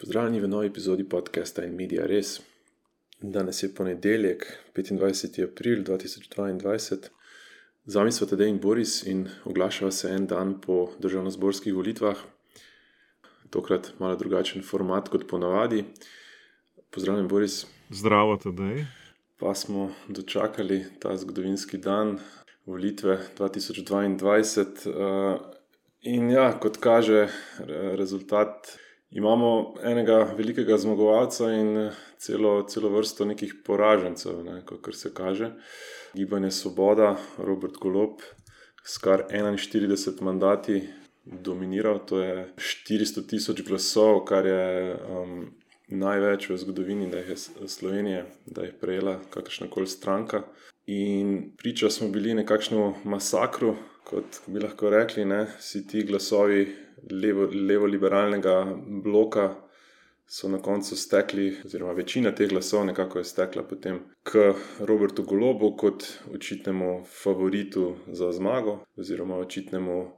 Pozdravljeni v novi epizodi podcasta In Media Res. Danes je ponedeljek, 25. april 2022. Z vami sva Tadej in Boris in oglašava se en dan po državnozborskih volitvah. Tokrat malo drugačen format kot ponavadi. Pozdravljen, Boris. Zdravo, Tadej. Pa smo dočakali ta zgodovinski dan, volitve 2022. In ja, kot kaže rezultat, imamo enega velikega zmagovalca in celo vrsto nekih poražencev, kakor se kaže. Gibanje Svoboda, Robert Golob, s kar 41 mandati dominiral, to je 400,000 glasov, kar je največ v zgodovini Slovenije, da je prejela kakršnakoli stranka. In priča smo bili nekakšnemu masakru, kot bi lahko rekli, vsi ti glasovi levo-liberalnega bloka so na koncu stekli, oziroma večina teh glasov nekako je stekla potem k Robertu Golobu kot očitnemu favoritu za zmago, oziroma očitnemu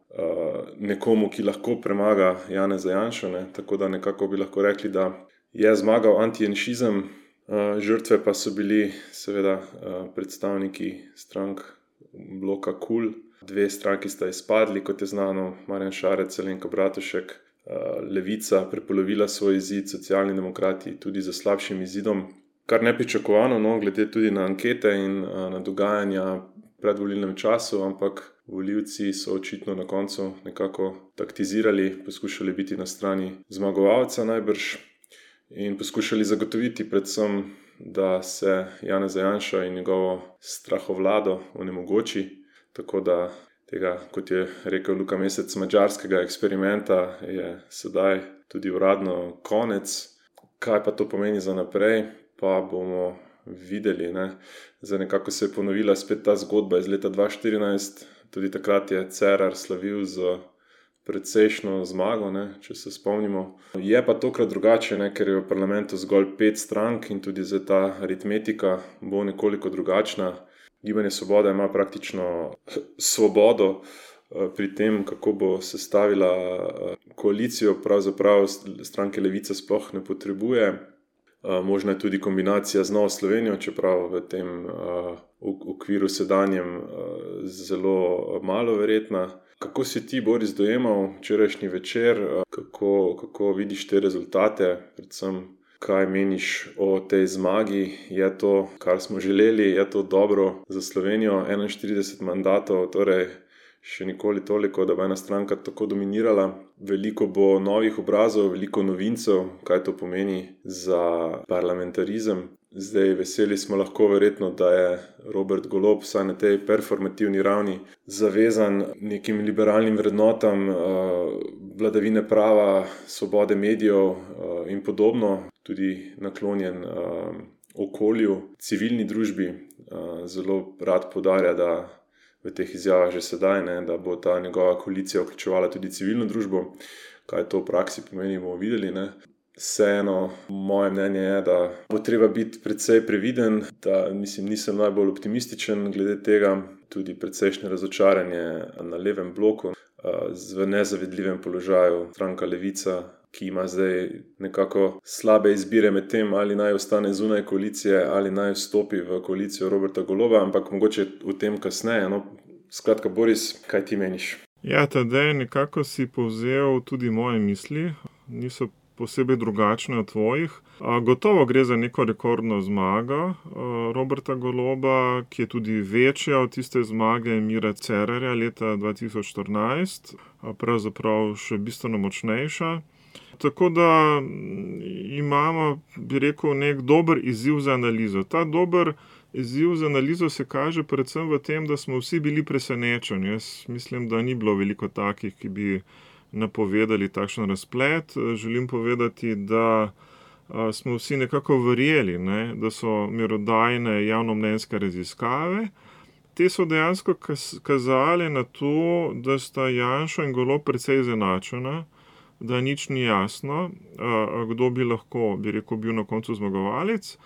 nekomu, ki lahko premaga Janeza Janšo, tako da nekako bi lahko rekli, da je zmagal antijanšizem, žrtve pa so bili seveda predstavniki strank bloka KUL. Dve stranki sta izpadli, kot je znano, Marjan Šarec, Alenka Bratušek. Levica prepolovila svoj izid, Socialni demokrati tudi za slabšim izidom. Kar nepričakovano, glede tudi na ankete in na dogajanja v predvolilnem času, ampak volivci so očitno na koncu nekako taktizirali, poskušali biti na strani zmagovalca najbrž in poskušali zagotoviti predvsem, da se Janeza Janša in njegovo strahovlado onemogoči. Tako da tega, kot je rekel Luka Mesec, madžarskega eksperimenta je sedaj tudi uradno konec. Kaj pa to pomeni za naprej, pa bomo videli. Zdaj nekako se je ponovila spet ta zgodba iz leta 2014. Tudi takrat je Cerar slavil z precejšno zmago, če se spomnimo. Je pa tokrat drugače, ker je v parlamentu zgolj 5 strank in tudi zdaj ta aritmetika bo nekoliko drugačna. Gibanje Svoboda ima praktično svobodo pri tem, kako bo sestavila koalicijo, pravzaprav stranke Levica sploh ne potrebuje. Možna je tudi kombinacija z Novo Slovenijo, čeprav v tem okviru sedanjem zelo malo verjetna. Kako si ti, Boris, dojemal včerajšnji večer? Kako vidiš te rezultate? Predvsem, kaj meniš o tej zmagi? Je to, kar smo želeli? Je to dobro za Slovenijo? 41 mandatov, torej še nikoli toliko, da bo ena stranka tako dominirala. Veliko bo novih obrazov, veliko novincev, kaj to pomeni za parlamentarizem. Zdaj veseli smo lahko verjetno, da je Robert Golob vsaj na tej performativni ravni zavezan nekim liberalnim vrednotam, vladavine prava, svobode medijev in podobno, tudi naklonjen okolju, civilni družbi. Zelo rad poudarja, da v teh izjavah že sedaj, da bo ta njegova koalicija vključevala tudi civilno družbo. Kaj to v praksi pomeni, bomo videli. Vseeno, moje mnenje je, da bo treba biti precej previden, da nisem najbolj optimističen glede tega, tudi precejšnje razočaranje na levem bloku, v nezavidljivem položaju stranka Levica, ki ima zdaj nekako slabe izbire med tem, ali naj ostane zunaj koalicije ali naj vstopi v koalicijo Roberta Goloba, ampak mogoče o tem kasneje. Skratka, Boris, kaj ti meniš? Ja, Tadej, nekako si povzel tudi moje misli, niso posebej drugačne od tvojih. Gotovo gre za neko rekordno zmago Roberta Goloba, ki je tudi večja od tiste zmage Mira Cerarja leta 2014, pravzaprav še bistveno močnejša. Tako da imamo, bi rekel, nek dober izziv za analizo. Ta dober izziv za analizo se kaže predvsem v tem, da smo vsi bili presenečeni. Jaz mislim, da ni bilo veliko takih, ki bi napovedali takšen razplet. Želim povedati, da smo vsi nekako verjeli, da so merodajne javnomnenjske raziskave. Te so dejansko kazale na to, da sta Janša in Golob precej izenačena, da nič ni jasno, kdo bi lahko, bi rekel, bil na koncu zmagovalec.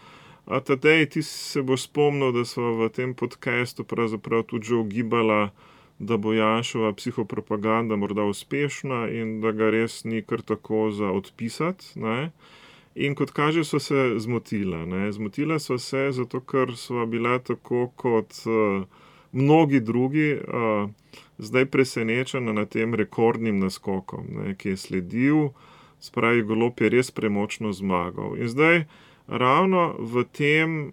Tadej, ti se boš spomnil, da sva v tem podcastu pravzaprav tudi že ugibala da bo Janševa psihopropaganda morda uspešna in da ga res ni kar tako za odpisati, ne. In kot kaže, so se zmotila, ne. Zmotila so se zato, ker sva bila tako kot mnogi drugi zdaj presenečena nad tem rekordnim naskokom, ne, ki je sledil. Spravi, Golob je res premočno zmagal. In zdaj ravno v tem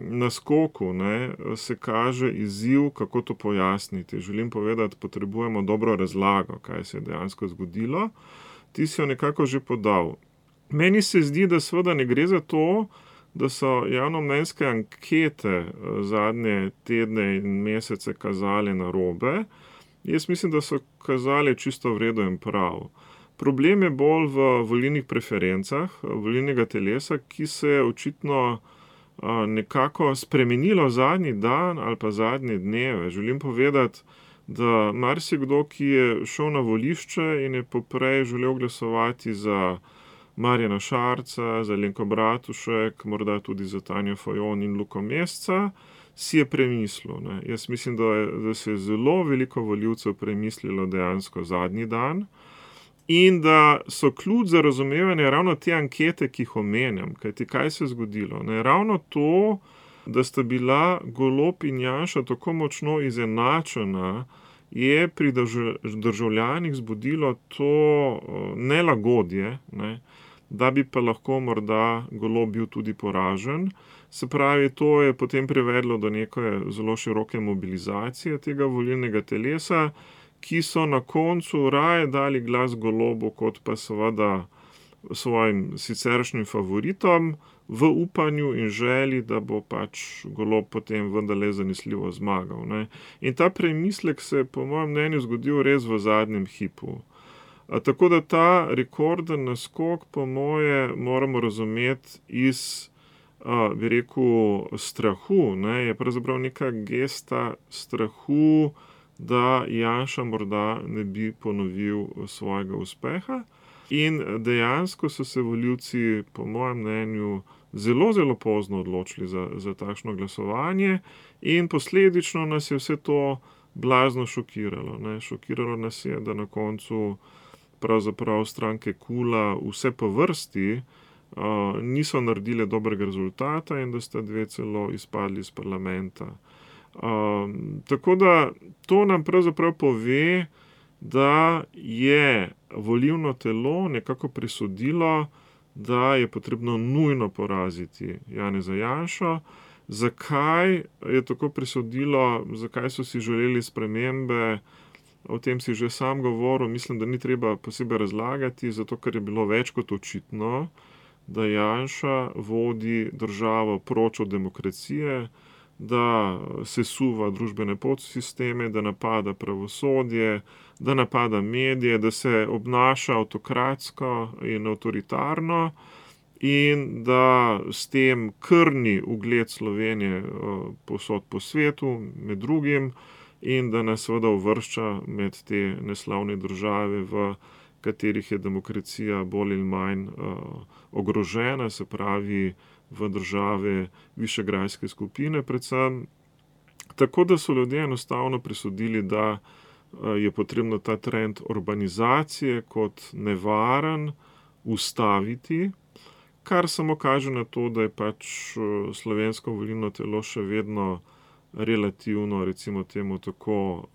naskoku, ne, se kaže izziv, kako to pojasniti. Želim povedati, potrebujemo dobro razlago, kaj se je dejansko zgodilo. Ti si jo nekako že podal. Meni se zdi, da seveda ne gre za to, da so javnomnenjske ankete zadnje tedne in mesece kazale narobe. Jaz mislim, da so kazale čisto v redu in prav. Problem je bolj v volilnih preferencah volilnega telesa, ki se je očitno nekako spremenilo zadnji dan ali pa zadnje dneve. Želim povedati, da marsikdo, ki je šel na volišče in je poprej želel glasovati za Marjana Šarca, za Alenko Bratušek, morda tudi za Tanjo Fajon in Luko Mesca, si je premislil, ne. Jaz mislim, da se je zelo veliko volivcev premislilo dejansko zadnji dan in da so ključ za razumevanje ravno te ankete, ki jih omenjam. Kajti kaj se je zgodilo, ne? Ravno to, da sta bila Golob in Janša tako močno izenačena, je pri državljanih zbudilo to nelagodje, ne, da bi pa lahko morda Golob bil tudi poražen. Se pravi, to je potem privedlo do neke zelo široke mobilizacije tega volilnega telesa, ki so na koncu raje dali glas Golobu, kot pa seveda svojim siceršnjim favoritom, v upanju in želji, da bo pač Golob potem vendarle zanesljivo zmagal, ne. In ta premislek se je po mojem mnenju zgodil res v zadnjem hipu. Tako da ta rekorden naskok, po moje, moramo razumeti iz, bi rekel, strahu, ne, je pravzaprav neka gesta strahu, da Janša morda ne bi ponovil svojega uspeha. In dejansko so se volivci, po mojem mnenju, zelo, zelo pozno odločili za takšno glasovanje in posledično nas je vse to blazno šokiralo, ne. Šokiralo nas je, da na koncu pravzaprav stranke KUL-a vse po vrsti niso naredile dobrega rezultata in da sta dve celo izpadli iz parlamenta. Tako da to nam pravzaprav pove, da je volilno telo nekako presodilo, da je potrebno nujno poraziti Janeza Janšo. Zakaj je tako presodilo, zakaj so si želeli spremembe, o tem si že sam govoril, mislim, da ni treba posebej razlagati, zato ker je bilo več kot očitno, da Janša vodi državo proč od demokracije, da sesuva družbene podsisteme, da napada pravosodje, da napada medije, da se obnaša avtokratsko in avtoritarno in da s tem krni ugled Slovenije povsod po svetu, med drugim, in da nas seveda uvršča med te neslavne države, v katerih je demokracija bolj ali manj ogrožena, se pravi v države Višegrajske skupine predvsem. Tako da so ljudje enostavno presodili, da je potrebno ta trend urbanizacije kot nevaren ustaviti, kar samo kaže na to, da je pač slovensko volilno telo še vedno relativno, recimo temu tako,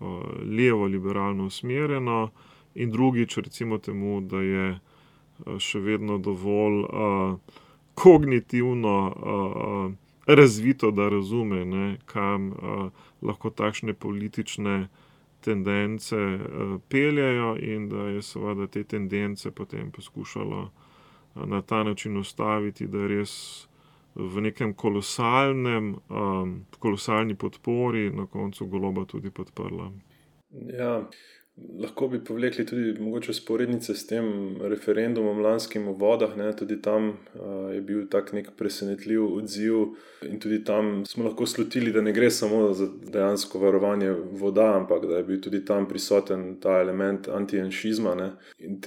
levo-liberalno usmerjeno, in drugič, recimo temu, da je še vedno dovolj kognitivno razvito, da razume, ne, kam lahko takšne politične tendence peljejo in da je seveda te tendence potem poskušalo na ta način ustaviti, da je res v nekem kolosalni podpori na koncu Goloba tudi podprla. Ja, lahko bi povlekli tudi mogoče vzporednice s tem referendumom lanskim o vodah, ne, tudi tam je bil tak nek presenetljiv odziv in tudi tam smo lahko slutili, da ne gre samo za dejansko varovanje voda, ampak da je bil tudi tam prisoten ta element antijanšizma, ne. In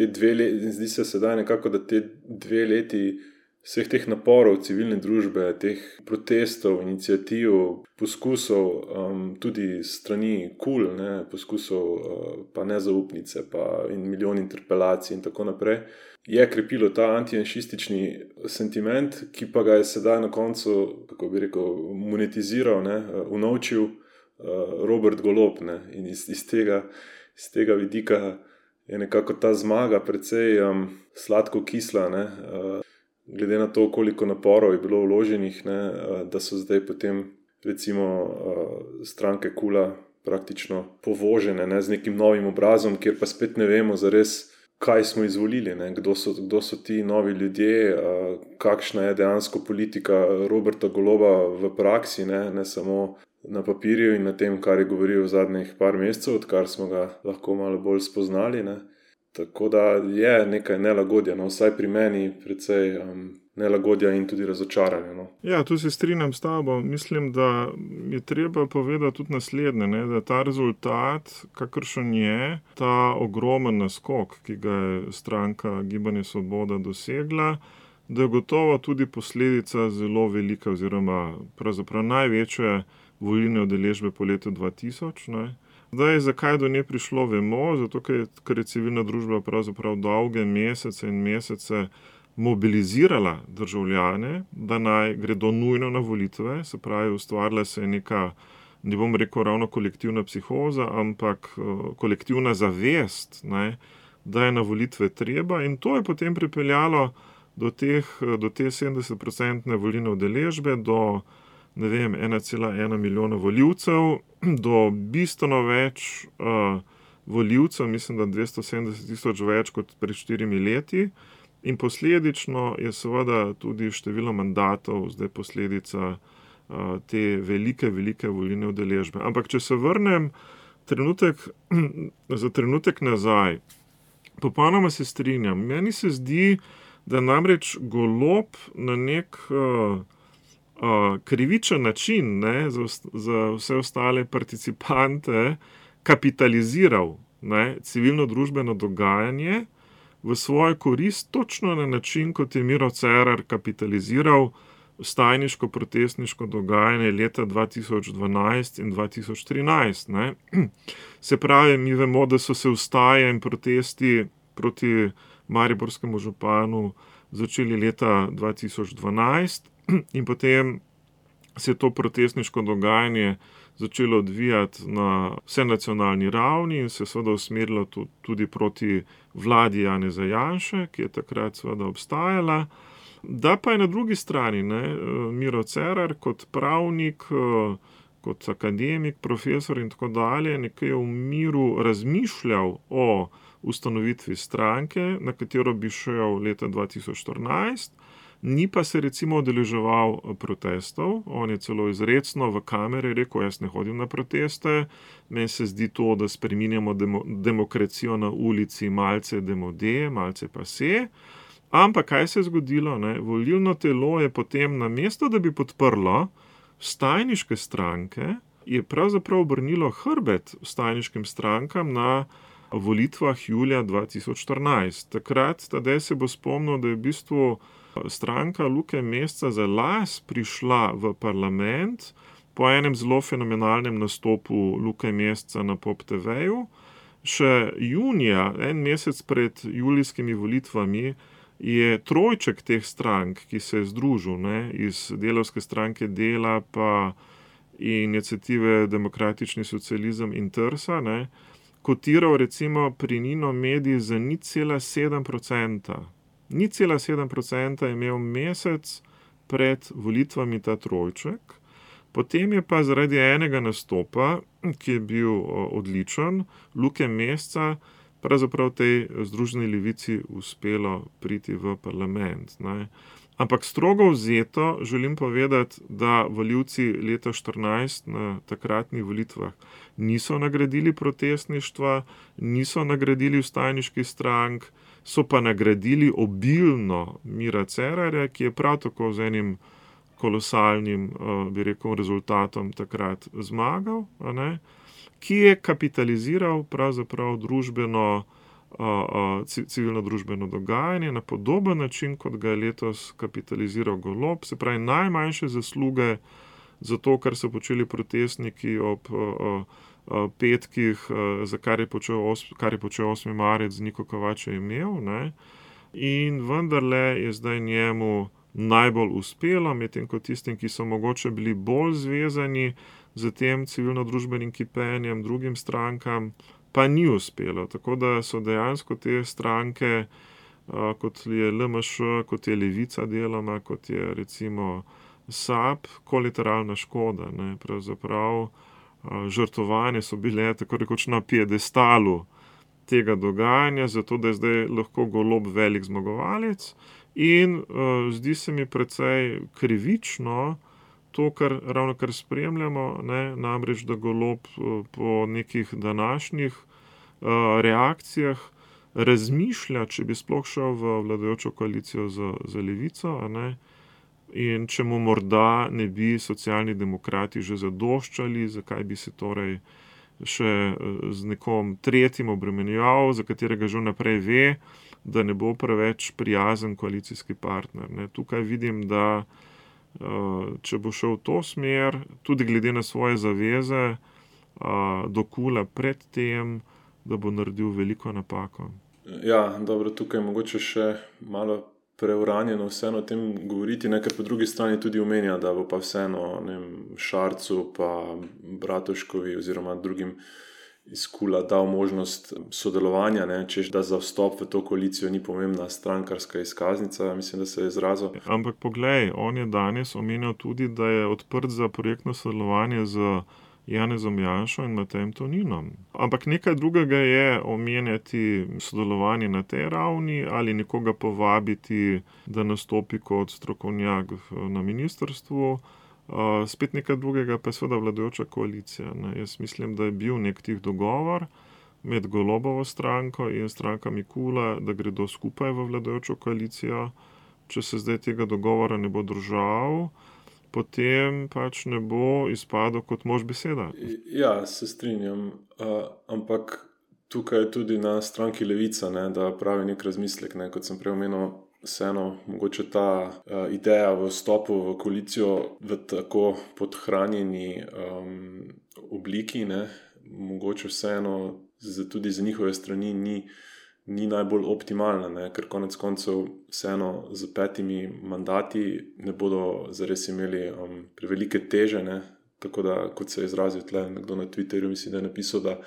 zdi se sedaj nekako, da te 2 leti vseh teh naporov civilne družbe, teh protestov, iniciativ, poskusov, tudi strani KUL, poskusov pa nezaupnice in milijon interpelacij in tako naprej, je krepilo ta antijanšistični sentiment, ki pa ga je sedaj na koncu, kako bi rekel, monetiziral, unovčil Robert Golob. In iz tega vidika je nekako ta zmaga precej sladko kisla, glede na to, koliko naporov je bilo vloženih, da so zdaj potem recimo stranke KUL-a praktično povožene, z nekim novim obrazom, kjer pa spet ne vemo zares, kaj smo izvolili, kdo so ti novi ljudje, kakšna je dejansko politika Roberta Goloba v praksi, ne samo na papirju in na tem, kar je govoril v zadnjih par mesecev, odkar smo ga lahko malo bolj spoznali. Tako da je nekaj nelagodja, vsaj pri meni precej nelagodja in tudi razočaranja. Ja, tu se strinjam s tabo. Mislim, da je treba povedati tudi naslednje, da ta rezultat, kakršen je, ta ogromen naskok, ki ga je stranka Gibanje Svoboda dosegla, da je gotovo tudi posledica zelo velike oziroma pravzaprav največje volilne udeležbe po letu 2000. Zdaj, zakaj do nje prišlo, vemo, zato ker je civilna družba pravzaprav dolge mesece in mesece mobilizirala državljane, da naj gredo nujno na volitve, se pravi, ustvarila se je neka, ne bom rekel ravno kolektivna psihoza, ampak kolektivna zavest, da je na volitve treba, in to je potem pripeljalo do te 70% volilne udeležbe, do 1,1 milijona volivcev, do bistveno več volivcev, mislim, da 270 tisoč več kot pred 4 leti, in posledično je seveda tudi število mandatov zdaj posledica te velike volilne udeležbe. Ampak če se vrnem za trenutek nazaj, popolnoma se strinjam. Meni se zdi, da namreč Golob na nek krivičen način za vse ostale participante kapitaliziral civilno družbeno dogajanje v svojo korist, točno na način, kot je Miro Cerar kapitaliziral vstajniško-protestniško dogajanje leta 2012 in 2013. Se pravi, mi vemo, da so se vstaje in protesti proti mariborskemu županu začeli leta 2012 in potem se je to protestniško dogajanje začelo odvijati na vsenacionalni ravni in se seveda usmerilo tudi proti vladi Janeza Janše, ki je takrat seveda obstajala. Da pa je na drugi strani Miro Cerar kot pravnik, kot akademik, profesor in tako dalje, nekaj v miru razmišljal o ustanovitvi stranke, na katero bi šel leta 2014, ni pa se recimo udeleževal protestov. On je celo izrecno v kamere rekel, jaz ne hodim na proteste, meni se zdi to, da spreminjamo demokracijo na ulici malce demode, malce pase. Ampak kaj se je zgodilo? Volilno telo je potem namesto, da bi podprlo vstajniške stranke, je pravzaprav obrnilo hrbet vstajniškim strankam na volitvah julija 2014. Takrat Tadej se bo spomnil, da je v bistvu stranka Luke Mesca za las prišla v parlament po enem zelo fenomenalnem nastopu Luke Mesca na Pop TV-ju. Še junija, en mesec pred julijskimi volitvami, je trojček teh strank, ki se je združil iz Delavske stranke Dela pa Iniciative Demokratični socializem in Trsa, kotiral recimo pri Nino Mediji za 0,7%. 0,7% je imel mesec pred volitvami ta trojček, potem je pa zaradi enega nastopa, ki je bil odličen, Luke Mesca, pravzaprav tej Združeni levici uspelo priti v parlament. Ampak strogo vzeto želim povedati, da volivci leta 2014 na takratnih volitvah niso nagradili protestništva, niso nagradili vstajniških strank, so pa nagradili obilno Mira Cerarja, ki je prav tako z enim kolosalnim, bi rekel, rezultatom takrat zmagal, ki je kapitaliziral pravzaprav družbeno civilno-družbeno dogajanje na podoben način, kot ga je letos kapitaliziral Golob, se pravi najmanjše zasluge za to, kar so počeli protestniki ob petkih, za kar je počel 8. marec Niko Kovač je imel, ne. In vendarle je zdaj njemu najbolj uspelo, medtem ko tistim, ki so mogoče bili bolj zvezani z tem civilno-družbenim kipenjem, drugim strankam, pa ni uspelo. Tako da so dejansko te stranke, kot je LMŠ, kot je Levica deloma, kot je recimo SAB, kolateralna škoda, ne. Pravzaprav žrtvovane so bile tako rekoč na piedestalu tega dogajanja, zato da je zdaj lahko Golob velik zmagovalec. In zdi se mi precej krivično to, ravno kar spremljamo, ne, namreč da Golob po nekih današnjih reakcijah razmišlja, če bi sploh šel v vladajočo koalicijo z Levico, a ne, in če mu morda ne bi Socialni demokrati že zadoščali, zakaj bi se torej še z nekom tretjim obremenjeval, za katerega že vnaprej ve, da ne bo preveč prijazen koalicijski partner, ne. Tukaj vidim, da če bo šel v to smer, tudi glede na svoje zaveze do KUL-a pred tem, da bo naredil veliko napako. Ja, dobro, tukaj mogoče še malo preuranjeno vseeno o tem govoriti, ne, ker po drugi strani tudi omenja, da bo pa vseeno, ne vem, Šarcu pa Bratuškovi oziroma drugim iz KUL-a dal možnost sodelovanja, ne, češ da za vstop v to koalicijo ni pomembna strankarska izkaznica, mislim, da se je izrazil. Ampak poglej, on je danes omenjal tudi, da je odprt za projektno sodelovanje z Janezom Janšo in Matejem Toninom. Ampak nekaj drugega je omenjati sodelovanje na tej ravni ali nekoga povabiti, da nastopi kot strokovnjak na ministrstvu. Spet nekaj drugega pa je seveda vladajoča koalicija, ne. Jaz mislim, da je bil nek tih dogovor med Golobovo stranko in strankami KUL-a, da gredo skupaj v vladajočo koalicijo. Če se zdaj tega dogovora ne bo držal, potem pač ne bo izpadel kot mož beseda. Ja, se strinjam, ampak tukaj je tudi na stranki Levica, ne, da pravi nek razmislek, ne, kot sem prej omenil, vseeno mogoče ta ideja v vstopu v koalicijo v tako podhranjeni obliki, ne, mogoče vseeno tudi za njihove strani ni najbolj optimalna, ne, ker konec koncev vseeno z 5 mandati ne bodo zares imeli prevelike teže, ne, tako da, kot se je izrazil tle nekdo na Twitterju, mislim, da je napisal, da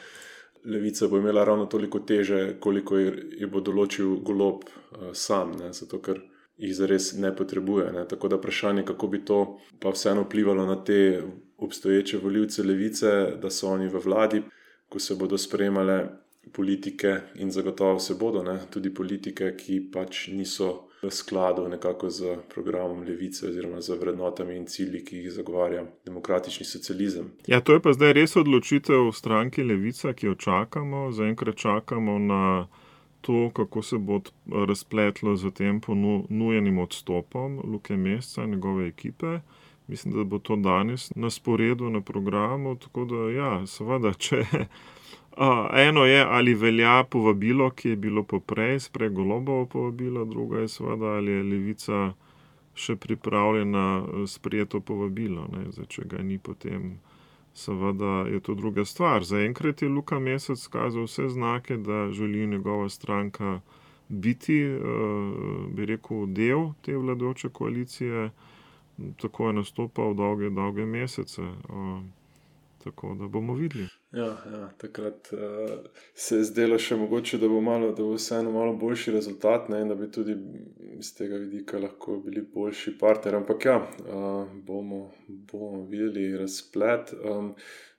Levica bo imela ravno toliko teže, koliko je bo določil Golob sam, ne, zato ker jih zares ne potrebuje, ne, tako da vprašanje, kako bi to pa vseeno vplivalo na te obstoječe volivce Levice, da so oni v vladi, ko se bodo sprejemale politike in zagotovo se bodo, ne, tudi politike, ki pač niso v skladu nekako z programom Levice oziroma z vrednotami in cilji, ki jih zagovarja demokratični socializem. Ja, to je pa zdaj res odločitev v stranki Levica, ki jo čakamo. Zaenkrat čakamo na to, kako se bo razpletlo z tem ponujenim odstopom Luke Mesca in njegove ekipe. Mislim, da bo to danes na sporedu, na programu, tako da ja, seveda, če eno je, ali velja povabilo, ki je bilo poprej, sprej Golobovo povabilo, druga je seveda, ali je Levica še pripravljena sprejeti to povabilo, ne. Zdaj, če ga ni, potem seveda je to druga stvar. Zaenkrat je Luka Mesec kazal vse znake, da želi njegova stranka biti, bi rekel, del te vladajoče koalicije, tako je nastopal dolge mesece. Tako da bomo videli. Ja, takrat se je zdelo še mogoče, da bo vseeno malo boljši rezultat, ne, in da bi tudi iz tega vidika lahko bili boljši partner, ampak ja, bomo videli razplet.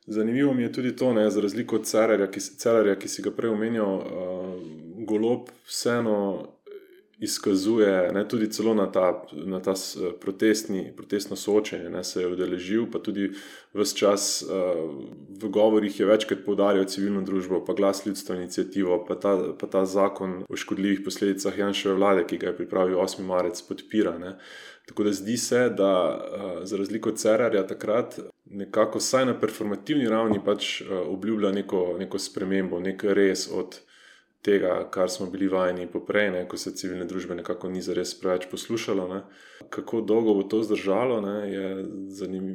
Zanimivo mi je tudi to, ne, za razliko od Cerarja, ki si ga prej omenjal, Golob vseeno izkazuje, ne, tudi celo na ta protestno soočenje, ne, se je udeležil, pa tudi ves čas v govorih je večkrat poudarjal civilno družbo, pa Glas ljudstva iniciativo, pa ta zakon o škodljivih posledicah Janševe vlade, ki ga je pripravil 8. marec, podpira, ne. Tako da zdi se, da za razliko od Cerarja takrat nekako vsaj na performativni ravni pač obljublja neko spremembo, nek res od tega, kar smo bili vajeni poprej, ko se civilne družbe nekako ni zares preveč poslušalo. Ne. Kako dolgo bo to zdržalo,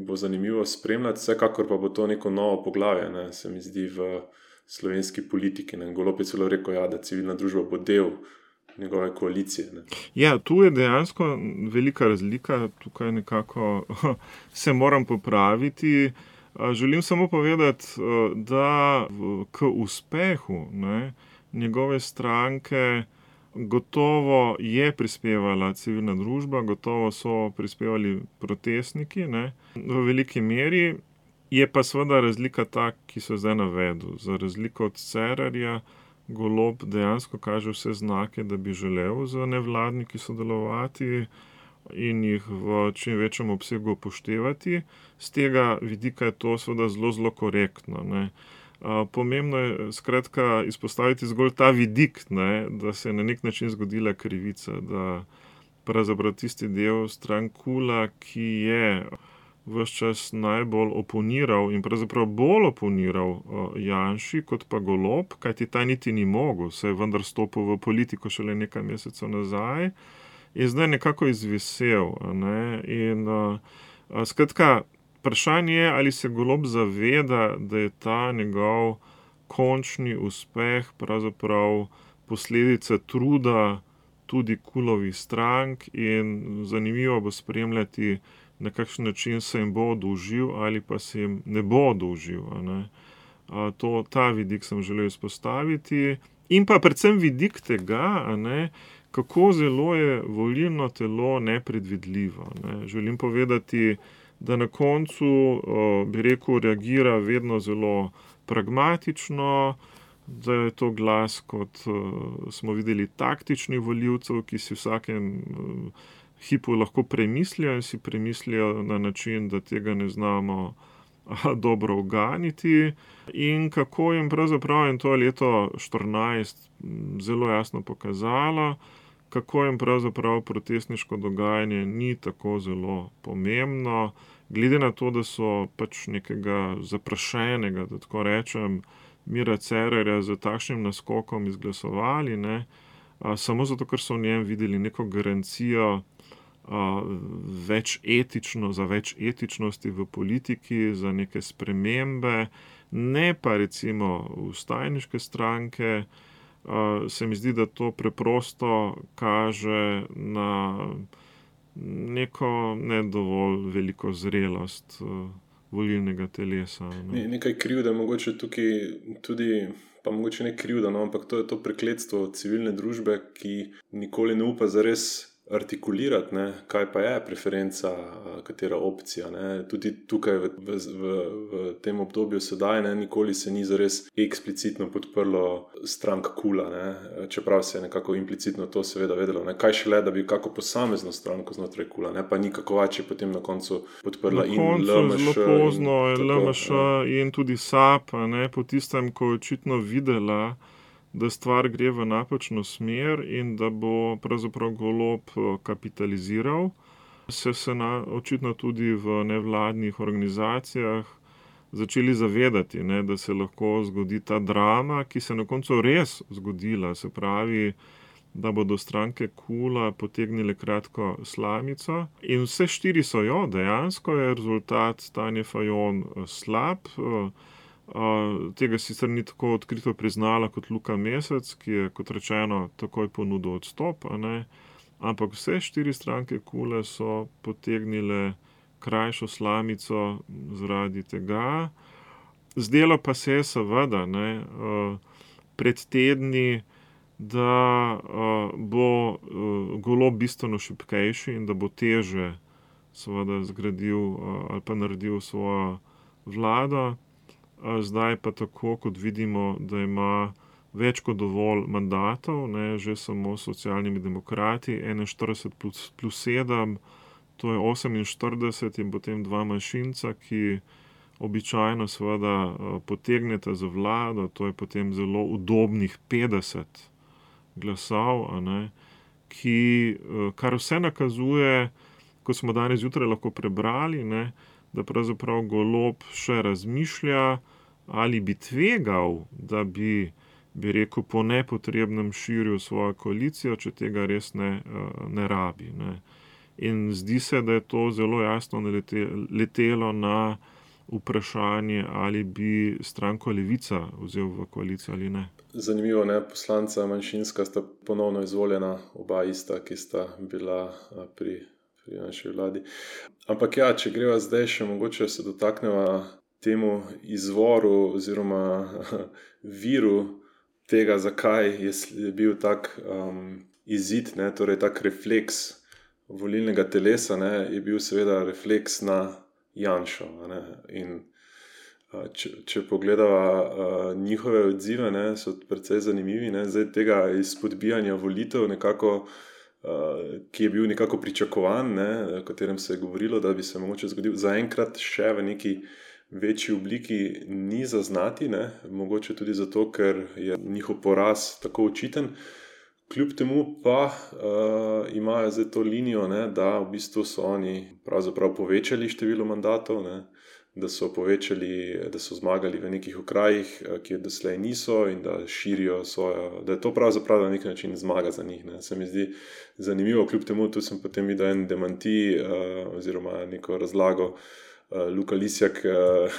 bo zanimivo spremljati, vsekakor pa bo to neko novo poglavje, se mi zdi, v slovenski politiki. Golob je celo rekel, da civilna družba bo del njegove koalicije. Ne. Ja, tu je dejansko velika razlika, tukaj nekako se moram popraviti. Želim samo povedati, da k uspehu njegove stranke gotovo je prispevala civilna družba, gotovo so prispevali protestniki, v veliki meri. Je pa seveda razlika ta, ki so zdaj navedel. Za razliko od Cerarja, Golob dejansko kaže vse znake, da bi želel z nevladniki sodelovati in jih v čim večjem obsegu upoštevati. Z tega vidika je to seveda zelo, zelo korektno. Pomembno je skratka izpostaviti zgolj ta vidik, da se je na nek način zgodila krivica, da pravzaprav tisti del strank KUL-a, ki je ves čas najbolj oponiral in pravzaprav bolj oponiral Janši kot pa Golob, kajti ta niti ni mogel, se je vendar stopil v politiko šele nekaj mesecev nazaj, je zdaj nekako izvisel. In skratka, vprašanje je, ali se Golob zaveda, da je ta njegov končni uspeh pravzaprav posledica truda tudi KUL-ovih strank in zanimivo bo spremljati, na kakšen način se jim bo oddolžil ali pa se jim ne bo oddolžil. Ta vidik sem želel izpostaviti. In pa predvsem vidik tega, kako zelo je volilno telo nepredvidljivo. Želim povedati, da na koncu, bi rekel, reagira vedno zelo pragmatično, da je to glas, kot smo videli, taktičnih volivcev, ki si vsakem hipu lahko premislijo in si premislijo na način, da tega ne znamo dobro uganiti. In kako jim pravzaprav, in to je leto 2014 zelo jasno pokazalo, kako jim pravzaprav protestniško dogajanje ni tako zelo pomembno, glede na to, da so pač nekega zaprašenega, da tako rečem, Mira Cerarja z takšnim naskokom izglasovali, samo zato, ker so v njem videli neko garancijo za več etičnosti v politiki, za neke spremembe, ne pa recimo vstajniške stranke. Se mi zdi, da to preprosto kaže na neko ne dovolj veliko zrelost volilnega telesa. Nekaj krivde mogoče tukaj tudi, pa mogoče ne krivda, ampak to je to prekletstvo civilne družbe, ki nikoli ne upa zares artikulirati, kaj pa je preferenca, katera opcija. Tudi tukaj v tem obdobju sedaj nikoli se ni zares eksplicitno podprlo strank KUL-a, čeprav se je nekako implicitno to seveda vedelo. Kaj šele, da bi kako posamezno stranko znotraj KUL-a, pa ni Kakovač je potem na koncu podprla in LMŠ. Na koncu zelo pozno je LMŠ in tudi SAB, po tistem, ko je očitno videla, da stvar gre v napačno smer in da bo pravzaprav Golob kapitaliziral. Se očitno tudi v nevladnih organizacijah začeli zavedati, da se lahko zgodi ta drama, ki se na koncu res zgodila. Se pravi, da bodo stranke KUL-a potegnile kratko slamico. In vse štiri so jo, dejansko je rezultat Tanje Fajon slab. Tega sicer ni tako odkrito priznala kot Luka Mesec, ki je, kot rečeno, takoj ponudil odstop, ampak vse štiri stranke KUL-a so potegnile krajšo slamico zaradi tega. Zdelo pa se je seveda pred tedni, da bo Golob bistveno šibkejši in da bo teže seveda zgradil ali pa naredil svojo vlado. Zdaj pa tako, kot vidimo, da ima več kot dovolj mandatov, že samo s Socialnimi demokrati, 41 plus 7, to je 48 in potem dva manjšinca, ki običajno seveda potegneta za vlado, to je potem zelo udobnih 50 glasov, kar vse nakazuje, kot smo danes zjutraj lahko prebrali, da pravzaprav Golob še razmišlja, ali bi tvegal, da bi bi rekel, po nepotrebnem širil svojo koalicijo, če tega res ne rabi. Ne. In zdi se, da je to zelo jasno letelo na vprašanje, ali bi stranko Levica vzel v koalicijo ali ne. Zanimivo, ne? Poslanca manjšinska sta ponovno izvoljena, oba ista, ki sta bila pri naši vladi. Ampak ja, če greva zdaj še mogoče se dotakneva temu izvoru oziroma viru tega, zakaj je bil tak izid, ne? Torej tak refleks volilnega telesa, ne? Je bil seveda refleks na Janšo. Ne? In če pogledava njihove odzive, ne, so precej zanimivi, ne. Zdaj tega izpodbijanja volitev nekako, ki je bil nekako pričakovan, ne, o katerem se je govorilo, da bi se mogoče zgodil, zaenkrat še v neki večji obliki ni zaznati, ne. Mogoče tudi zato, ker je njihov poraz tako očiten. Kljub temu pa imajo zdaj to linijo, ne, da v bistvu so oni pravzaprav povečali število mandatov, ne. Da so zmagali v nekih okrajih, ki doslej niso, in da širijo svojo, da je to pravzaprav na nek način zmaga za njih. Ne. Se mi zdi zanimivo, kljub temu, tu sem potem videl en demanti oziroma neko razlago. Luka Lisjak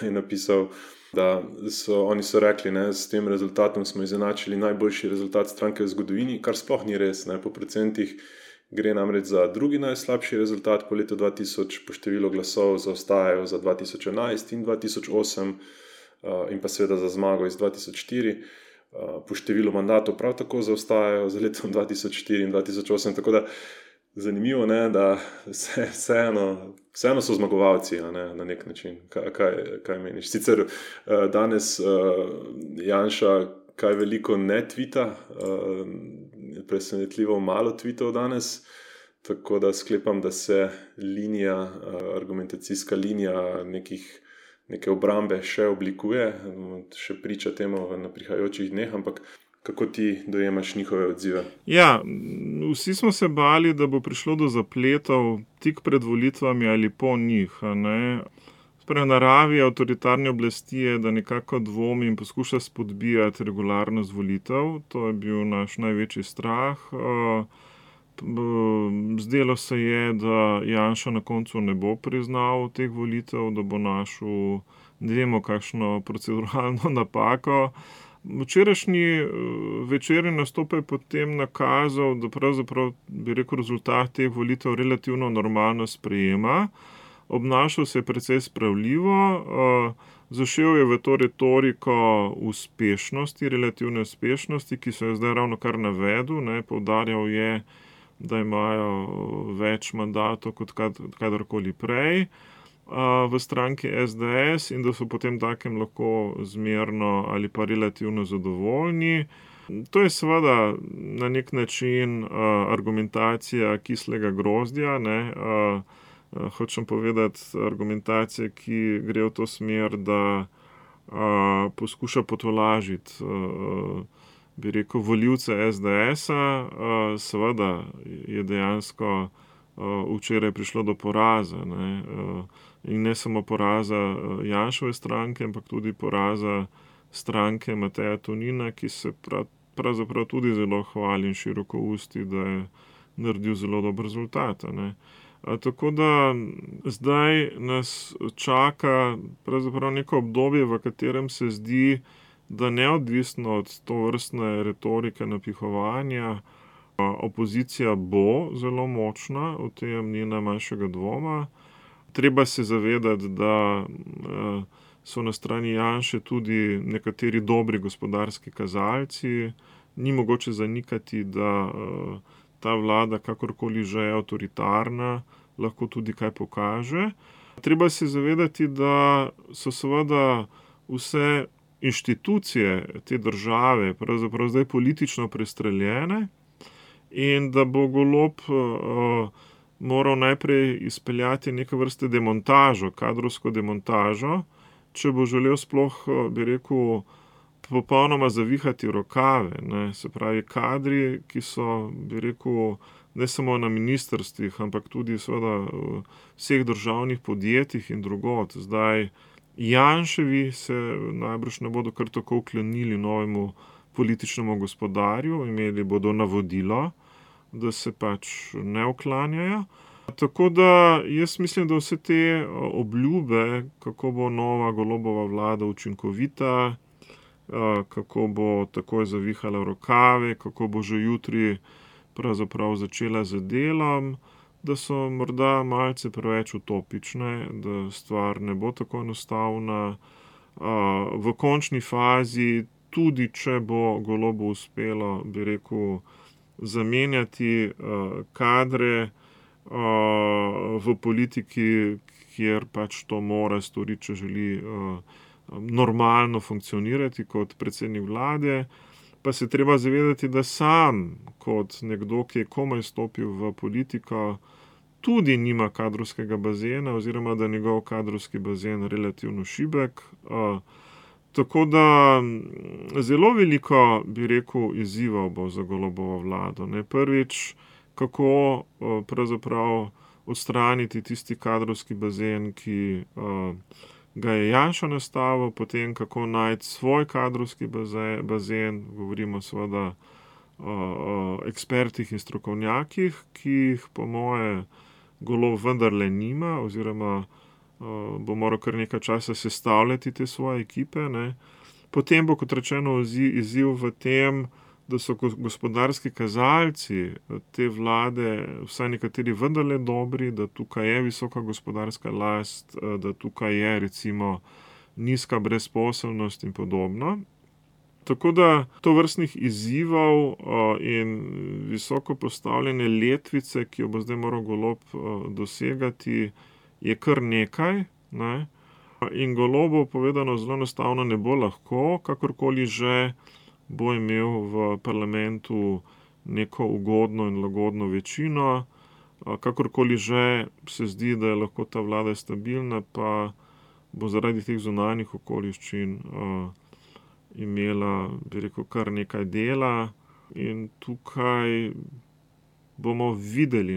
je napisal, da oni so rekli, ne, s tem rezultatom smo izenačili najboljši rezultat stranke v zgodovini, kar sploh ni res, ne, po procentih. Gre namreč za drugi najslabši rezultat po letu 2000, po številu glasov zaostajajo za 2011 in 2008 in pa seveda za zmago iz 2004. Po številu mandatov prav tako zaostajajo za letom 2004 in 2008, tako da zanimivo, ne, da vseeno so zmagovalci, ne, na nek način. Kaj meniš? Sicer danes Janša kaj veliko ne tvita, presenetljivo malo tvitov danes, tako da sklepam, da se argumentacijska linija neke obrambe še oblikuje, še priča temu na prihajajočih dneh, ampak kako ti dojemaš njihove odzive? Ja, vsi smo se bali, da bo prišlo do zapletov tik pred volitvami ali po njih, ne. V naravi avtoritarne oblasti je, da nekako dvomi in poskuša spodbijati regularnost volitev. To je bil naš največji strah. Zdelo se je, da Janša na koncu ne bo priznal teh volitev, da bo našel, ne vemo, kakšno proceduralno napako. Včerajšnji večerni nastop je potem nakazal, da pravzaprav, bi rekel, rezultat teh volitev relativno normalno sprejema. Obnašal se je precej spravljivo, zašel je v to retoriko uspešnosti, relativne uspešnosti, ki se je zdaj ravno kar navedel, ne, poudarjal je, da imajo več mandatov kot kadarkoli prej v stranki SDS in da so potem takem lahko zmerno ali pa relativno zadovoljni. To je seveda na nek način argumentacija kislega grozdja, ne. Hočem povedati, argumentacija, ki gre v to smer, da poskuša potolažiti, bi rekel, volivce SDS-a. Seveda je dejansko včeraj prišlo do poraza, ne. In ne samo poraza Janševe stranke, ampak tudi poraza stranke Mateja Tonina, ki se pravzaprav tudi zelo hvali in širokousti, da je naredil zelo dober rezultat, ne. Tako da zdaj nas čaka pravzaprav neko obdobje, v katerem se zdi, da neodvisno od tovrstne retorike napihovanja, opozicija bo zelo močna, o tem ni najmanjšega dvoma. Treba se zavedati, da so na strani Janše tudi nekateri dobri gospodarski kazalci. Ni mogoče zanikati, da ta vlada, kakorkoli že je avtoritarna, lahko tudi kaj pokaže. Treba se zavedati, da so seveda vse inštitucije te države pravzaprav zdaj politično prestreljene in da bo Golob moral najprej izpeljati neke vrste demontažo, kadrovsko demontažo, če bo želel sploh, bi rekel, popolnoma zavihati rokave, ne. Se pravi, kadri, ki so, bi rekel, ne samo na ministrstvih, ampak tudi seveda v vseh državnih podjetjih in drugod. Zdaj, Janševi se najbrž ne bodo kar tako vklenili novemu političnemu gospodarju, imeli bodo navodilo, da se pač ne uklanjajo. Tako da jaz mislim, da vse te obljube, kako bo nova Golobova vlada učinkovita, kako bo takoj zavihala rokave, kako bo že jutri pravzaprav začela z delom, da so morda malce preveč utopične, da stvar ne bo tako enostavna. V končni fazi, tudi če bo Golobu uspelo, bi rekel, zamenjati kadre v politiki, kjer pač to mora storiti, če želi normalno funkcionirati kot predsednik vlade, pa se treba zavedati, da sam kot nekdo, ki je komaj stopil v politiko, tudi nima kadrovskega bazena oziroma da je njegov kadrovski bazen relativno šibek. Tako da zelo veliko, bi rekel, izzivov bo za Golobovo vlado. Prvič, kako pravzaprav odstraniti tisti kadrovski bazen, ki ga je Janša nastavil, potem kako najti svoj kadrovski bazen, govorimo seveda o ekspertih in strokovnjakih, ki jih po moje Golob vendarle nima, oziroma bo moral kar nekaj časa sestavljati te svoje ekipe. Potem bo, kot rečeno, izziv v tem, da so gospodarski kazalci te vlade, vsaj nekateri vendarle dobri, da tukaj je visoka gospodarska rast, da tukaj je recimo nizka brezposelnost in podobno. Tako da tovrstnih izzivov in visoko postavljene letvice, ki jo bo zdaj moral Golob dosegati, je kar nekaj. In Golobu povedano zelo enostavno ne bo lahko, kakorkoli že bo imel v parlamentu neko ugodno in lagodno večino, kakorkoli že se zdi, da je lahko ta vlada stabilna, pa bo zaradi teh zunanjih okoliščin imela, bi rekel, kar nekaj dela. In tukaj bomo videli,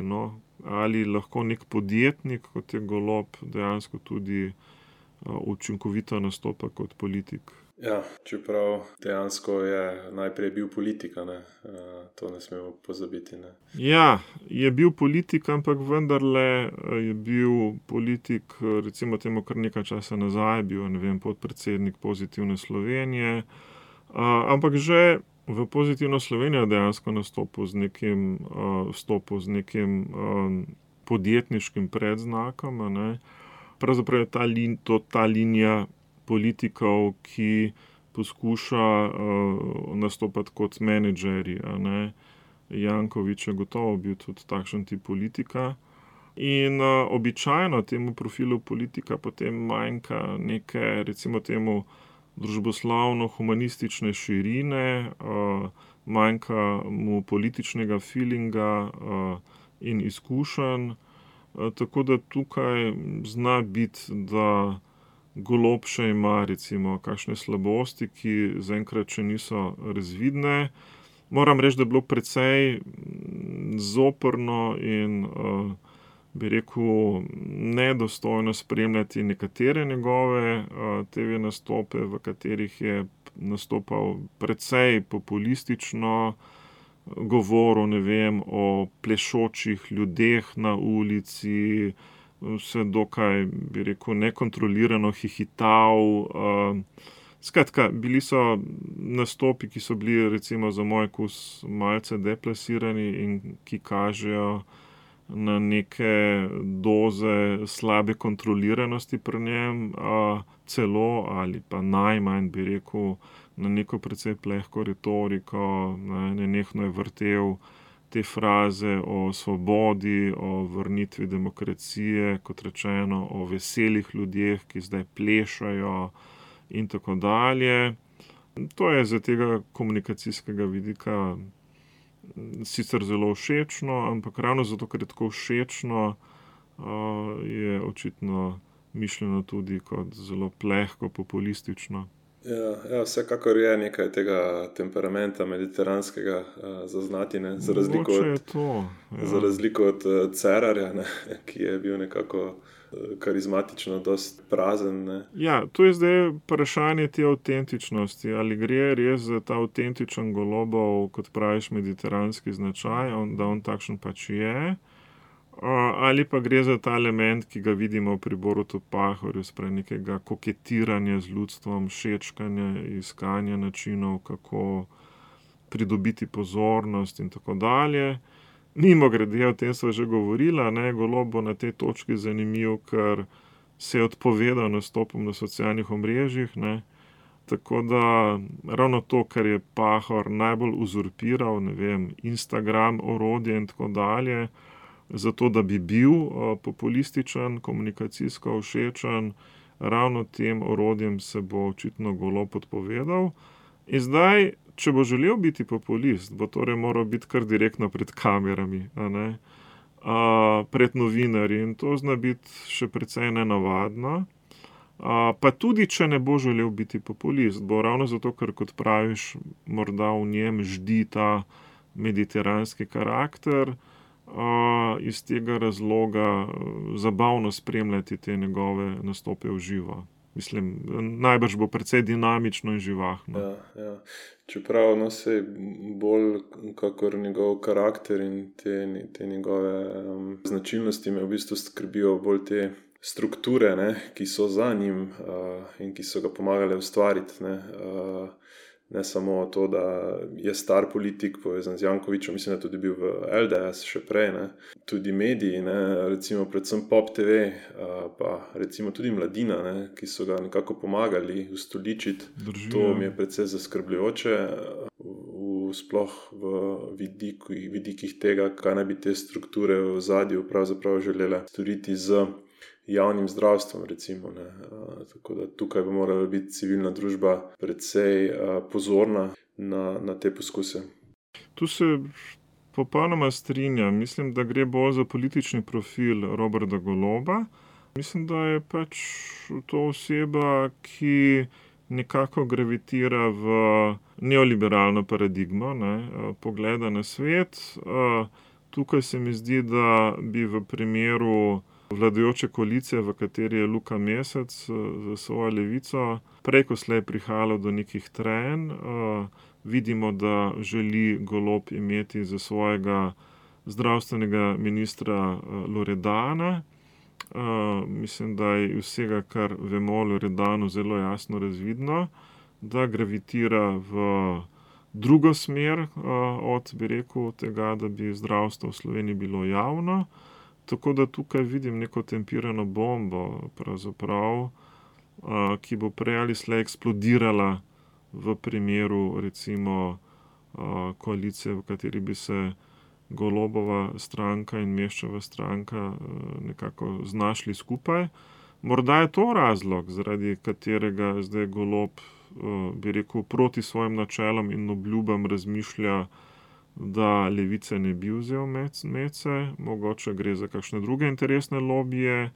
ali lahko nek podjetnik, kot je Golob, dejansko tudi učinkovito nastopa kot politik. Ja, čeprav dejansko je najprej bil politik, to ne smemo pozabiti. Ja, je bil politik, ampak vendarle je bil politik, recimo temu kar nekaj časa nazaj, bil, podpredsednik Pozitivne Slovenije, ampak že v Pozitivno Slovenijo dejansko vstopil z nekim podjetniškim predznakom. Pravzaprav je ta linija politikov, ki poskuša nastopati kot menedžerji. Janković je gotovo bil tudi takšen tip politika. In običajno temu profilu politika potem manjka neke, recimo temu, družboslovno-humanistične širine, manjka mu političnega feelinga in izkušenj. Tako da tukaj zna biti, da Golob še ima recimo kakšne slabosti, ki zaenkrat še niso razvidne. Moram reči, da je bilo precej zoprno in bi rekel nedostojno spremljati nekatere njegove TV nastope, v katerih je nastopal precej populistično, govoril, o plešočih ljudeh na ulici, vse dokaj, bi rekel, nekontrolirano hihital. Skratka, bili so nastopi, ki so bili recimo za moj okus malce deplasirani in ki kažejo na neke doze slabe kontroliranosti pri njem, celo ali pa najmanj, bi rekel, na neko precej plehko retoriko. Nenehno je vrtel te fraze o svobodi, o vrnitvi demokracije, kot rečeno, o veselih ljudeh, ki zdaj plešajo in tako dalje. To je z tega komunikacijskega vidika sicer zelo všečno, ampak ravno zato, ker je tako všečno, je očitno mišljeno tudi kot zelo plehko populistično. Ja, vsekakor je nekaj tega temperamenta mediteranskega zaznati, ne? Mogoče je to. Za razliko od Cerarja, ne? Ki je bil nekako karizmatično, dosti prazen. Ne? Ja, to je zdaj vprašanje te avtentičnosti. Ali gre res za ta avtentičen Golobov, kot praviš, mediteranski značaj, da on takšen pač je, ali pa gre za ta element, ki ga vidimo pri Borutu Pahorju, sprej nekega koketiranja z ljudstvom, šečkanja, iskanja načinov, kako pridobiti pozornost in tako dalje. Mimogrede, o tem sva že govorila, ne, Golob bo na tej točki zanimiv, ker se je odpovedal nastopom na socialnih omrežjih, ne. Tako da ravno to, kar je Pahor najbolj uzurpiral, ne vem, Instagram, orodje in tako dalje, zato da bi bil populističen, komunikacijsko všečen, ravno tem orodjem se bo očitno Golob odpovedal. In zdaj, če bo želel biti populist, bo torej moral biti kar direktno pred kamerami, a ne, pred novinarji, in to zna biti še precej nenavadno. Pa tudi, če ne bo želel biti populist, bo ravno zato, ker, kot praviš, morda v njem ždi ta mediteranski karakter, iz tega razloga zabavno spremljati te njegove nastope v živo. Mislim, najbrž bo precej dinamično in živahno. Ja. Čeprav se bolj kakor njegov karakter in te njegove značilnosti me v bistvu skrbijo bolj te strukture, ne, ki so za njim in ki so ga pomagale ustvariti. Ne samo to, da je star politik povezan z Jankovićem, mislim, da tudi bil v LDS še prej, ne. Tudi mediji, ne, recimo predvsem Pop TV, pa recimo tudi Mladina, ne, ki so ga nekako pomagali ustoličiti. To mi je precej zaskrbljujoče, sploh v vidikih tega, kaj naj bi te strukture v ozadju pravzaprav želele storiti z javnim zdravstvom, recimo, ne. Tako da tukaj bi morala biti civilna družba precej pozorna na te poskuse. Tu se popolnoma strinjam. Mislim, da gre bolj za politični profil Roberta Goloba. Mislim, da je pač to oseba, ki nekako gravitira v neoliberalno paradigmo, ne, pogleda na svet. Tukaj se mi zdi, da bi v primeru vladajoče koalicije, v kateri je Luka Mesec za svojo Levico, prej ko slej prihajalo do nekih trenj. Vidimo, da želi Golob imeti za svojega zdravstvenega ministra Loredana. Mislim, da je vsega, kar vemo o Loredanu, zelo jasno razvidno, da gravitira v drugo smer od, bi rekel, tega, da bi zdravstvo v Sloveniji bilo javno. Tako da tukaj vidim neko tempirano bombo, pravzaprav, ki bo prej ali slej eksplodirala v primeru, recimo, koalicije, v kateri bi se Golobova stranka in Meščeva stranka nekako znašli skupaj. Morda je to razlog, zaradi katerega zdaj Golob, bi rekel, proti svojim načelom in obljubam razmišlja, da Levice ne bi vzel medse, mogoče gre za kakšne druge interesne lobije.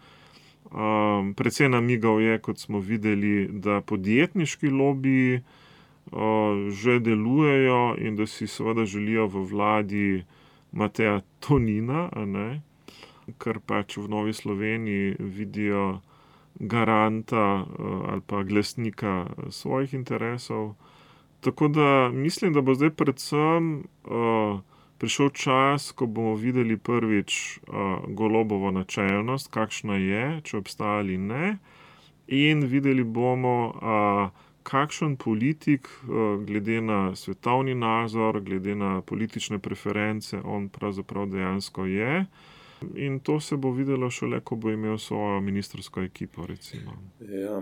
Precej namigal je, kot smo videli, da podjetniški lobiji že delujejo in da si seveda želijo v vladi Mateja Tonina, a ne, ker pač v Novi Sloveniji vidijo garanta ali pa glasnika svojih interesov. Tako da mislim, da bo zdaj predvsem prišel čas, ko bomo videli prvič Golobovo načelnost, kakšna je, če obstaja ali ne, in videli bomo, kakšen politik, glede na svetovni nazor, glede na politične preference, on pravzaprav dejansko je. In to se bo videlo šele, ko bo imel svojo ministrsko ekipo, recimo. Ja,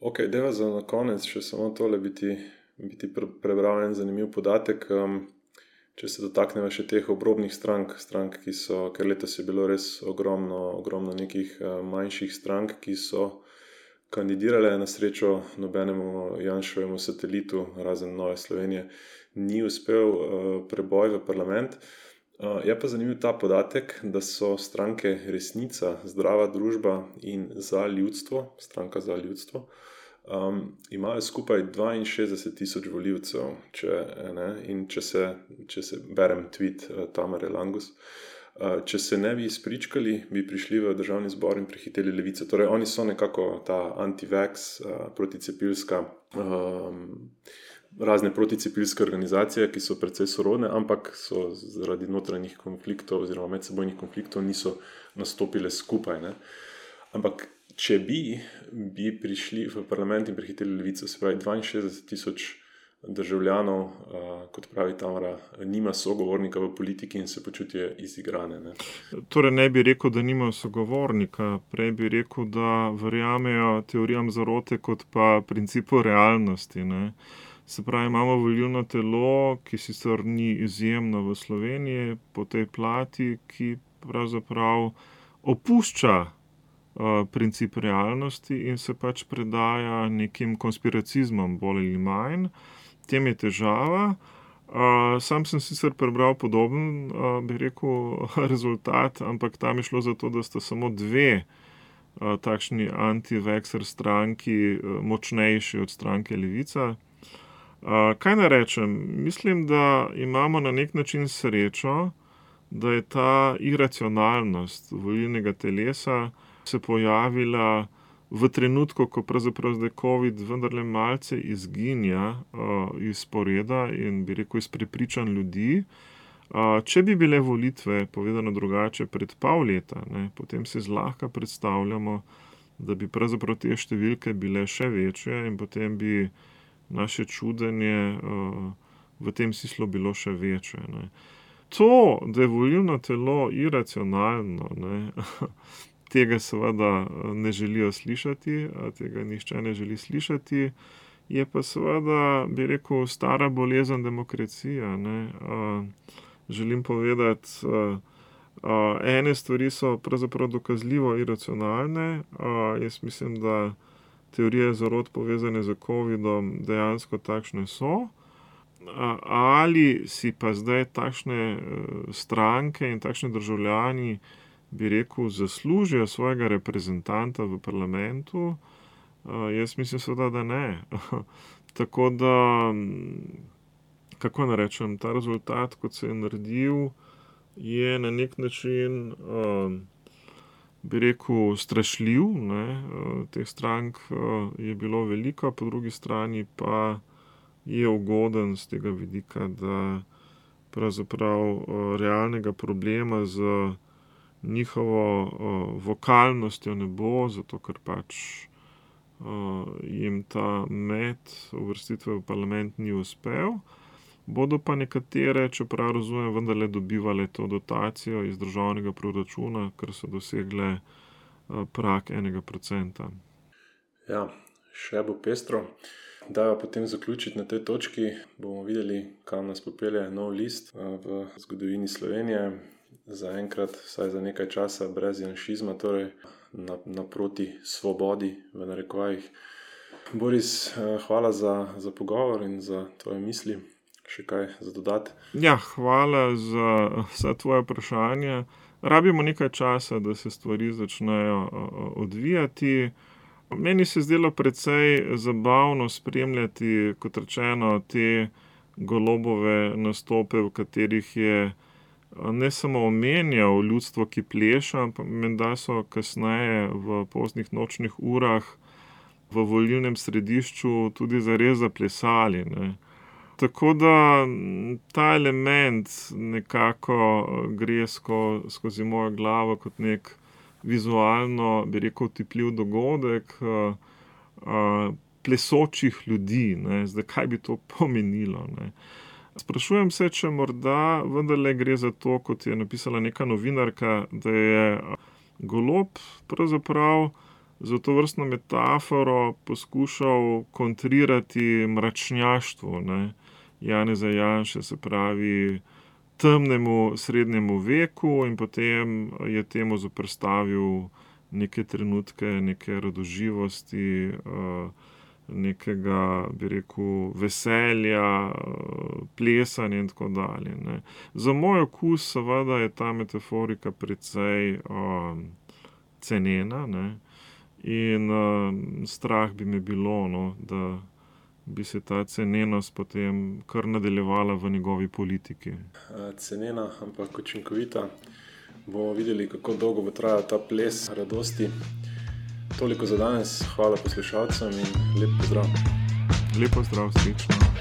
ok, deva za na konec še samo tole biti prebral en zanimiv podatek. Če se dotaknemo še teh obrobnih strank, ki so, ker letos je bilo res ogromno nekih manjših strank, ki so kandidirale. Na srečo nobenemu Janševemu satelitu, razen Nove Slovenije, ni uspel preboj v parlament. Je pa zanimiv ta podatek, da so stranke Resnica, Zdrava družba in Za ljudstvo, stranka Za ljudstvo, imajo skupaj 62,000 volivcev, in če se berem tweet Tamare Langus, če se ne bi izpričkali, bi prišli v državni zbor in prehiteli Levico. Torej, oni so nekako ta anti-vax, proticepilska, razne proticepilske organizacije, ki so precej sorodne, ampak so zaradi notranjih konfliktov oziroma medsebojnih konfliktov niso nastopile skupaj, ne. Ampak če bi prišli v parlament in prehiteli Levico, se pravi 62,000 državljanov, kot pravi Tamara, nima sogovornika v politiki in se počutijo izigrane, ne. Torej ne bi rekel, da nimajo sogovornika, prej bi rekel, da verjamejo teorijam zarote kot pa principu realnosti, ne. Se pravi, imamo volilno telo, ki sicer ni izjemno v Sloveniji po tej plati, ki pravzaprav opušča princip realnosti in se pač predaja nekim konspiracizmom bolj ali manj. Tem je težava. Sam sem sicer prebral podoben, bi rekel, rezultat, ampak tam je šlo za to, da sta samo dve takšni anti-vaxxer stranki močnejši od stranke Levica. Kaj naj rečem? Mislim, da imamo na nek način srečo, da je ta iracionalnost volilnega telesa se pojavila v trenutku, ko pravzaprav zdaj COVID vendarle malce izginja iz sporeda in bi rekel iz prepričanj ljudi. Če bi bile volitve, povedano drugače, pred pol leta, ne, potem si zlahka predstavljamo, da bi pravzaprav te številke bile še večje in potem bi naše čudenje v tem smislu bilo še večje, ne. To, da je volilno telo iracionalno, ne, tega seveda ne želijo slišati, tega nihče ne želi slišati, je pa seveda, bi rekel, stara bolezen demokracije, ne. Želim povedati, ene stvari so pravzaprav dokazljivo iracionalne, jaz mislim, da teorije zarot povezane z covidom dejansko takšne so, ali si pa zdaj takšne stranke in takšni državljani, bi rekel, zaslužijo svojega reprezentanta v parlamentu, jaz mislim seveda, da ne. Tako da, kako naj rečem, ta rezultat, kot se je naredil, je na nek način, bi rekel, strašljiv, ne. Teh strank je bilo veliko, po drugi strani pa je ugoden z tega vidika, da pravzaprav realnega problema z njihovo vokalnostjo ne bo, zato ker pač jim ta med uvrstitve v parlament ni uspel. Bodo pa nekatere, čeprav razumem, vendarle dobivale to dotacijo iz državnega proračuna, ker so dosegle prag 1%. Ja, še bo pestro. Dajva potem zaključiti na tej točki. Bomo videli, kam nas popelje nov list v zgodovini Slovenije. Zaenkrat, vsaj za nekaj časa, brez janšizma, torej naproti svobodi, v narekovajih. Boris, hvala za pogovor in za tvoje misli. Še kaj za dodati? Ja, hvala za vsa tvoja vprašanja. Rabimo nekaj časa, da se stvari začnejo odvijati. Meni se je zdelo precej zabavno spremljati, kot rečeno, te Golobove nastope, v katerih je ne samo omenjal ljudstvo, ki pleša, ampak menda so kasneje v poznih nočnih urah v volilnem središču tudi zares zaplesali, ne. Tako da ta element nekako gre skozi mojo glavo kot nek vizualno, bi rekel, otipljiv dogodek plesočih ljudi, ne. Zdaj, kaj bi to pomenilo, ne. Sprašujem se, če morda vendarle gre za to, kot je napisala neka novinarka, da je Golob pravzaprav za to vrstno metaforo poskušal kontrirati mračnjaštvu, ne, Janeza Janše, se pravi temnemu srednjemu veku, in potem je temu zoperstavil neke trenutke, neke radoživosti, nekega, bi rekel, veselja, plesanja in tako dalje, ne. Za moj okus seveda je ta metaforika precej cenena, ne. In strah bi me bilo, no, da bi se ta cenenost potem kar nadaljevala v njegovi politiki. Cenena, ampak učinkovita. Bomo videli, kako dolgo bo trajal ta ples radosti. Toliko za danes. Hvala poslušalcem in lep pozdrav. Lep pozdrav, srečno.